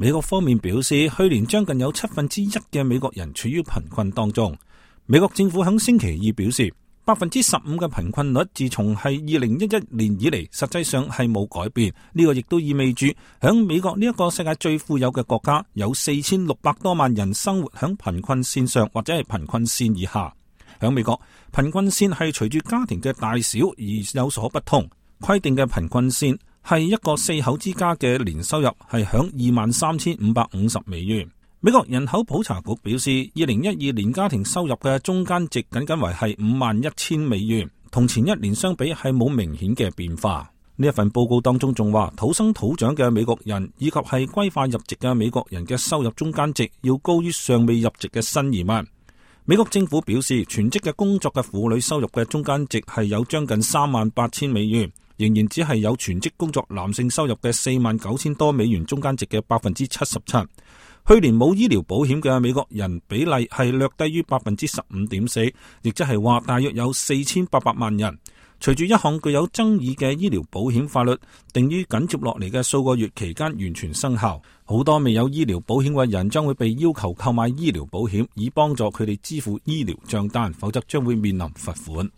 美國方面表示，去年將近有1/7嘅美國人處於貧困當中。美國政府喺星期二表示，15% 嘅貧困率自從係2011年以嚟，實際上係冇改變。呢個亦都意味住喺美國呢一個世界最富有嘅國家，有4600多萬人生活喺貧困線上或者係貧困線以下。喺美國，貧困線係隨住家庭嘅大小而有所不同。規定嘅貧困線係一個4口之家嘅年收入係響23,550美元。美國人口普查局表示，2012年家庭收入嘅中間值僅為係51,000美元，同前一年相比係冇明顯嘅變化。呢一份報告當中仲話，土生土長嘅美國人以及係歸化入籍嘅美國人嘅收入中間值要高於尚未入籍嘅新移民。美國政府表示，全職嘅工作嘅婦女收入嘅中間值係有將近38,000美元，仍然只係有全職工作男性收入嘅49,000多美元中間值嘅77%。去年冇醫療保險嘅美國人比例係略低於15.4%，亦即係話大約有4800萬人。隨住一項具有爭議嘅醫療保險法律定於緊接落嚟嘅數個月期間完全生效，好多未有醫療保險嘅人將會被要求購買醫療保險，以幫助佢哋支付醫療賬單，否則將會面臨罰款。